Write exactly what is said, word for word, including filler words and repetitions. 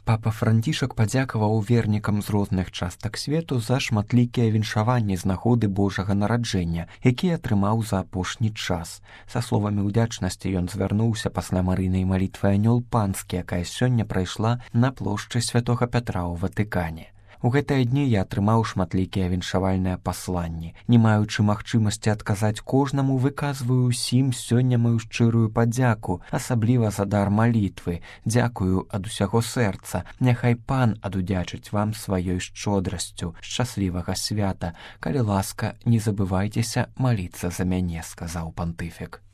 Папа Францішак падзякаваў вернікам з розных частак свету за шматлікія віншаванні з нагоды Божага нараджэння, якія атрымаў за апошні час. Са словамі ўдзячнасці ён звярнуўся пасля марыйнай малітвы «Анёл панскі», якая сёння прайшла на плошчы святога Пятра ў Ватыкане. У гэтыя дні я атрымаў шматлікія віншавальныя пасланні. Не маючы магчымасці адказаць кожнаму, выказваю ўсім сёння маю шчырую падзяку, асабліва за дар малітвы. Дзякую ад усяго сэрца. Няхай Пан адудзячыць вам сваёй шчодрасцю. Шчаслівага свята. Калі ласка, не забывайцеся маліцца за мяне, сказаў пантыфік.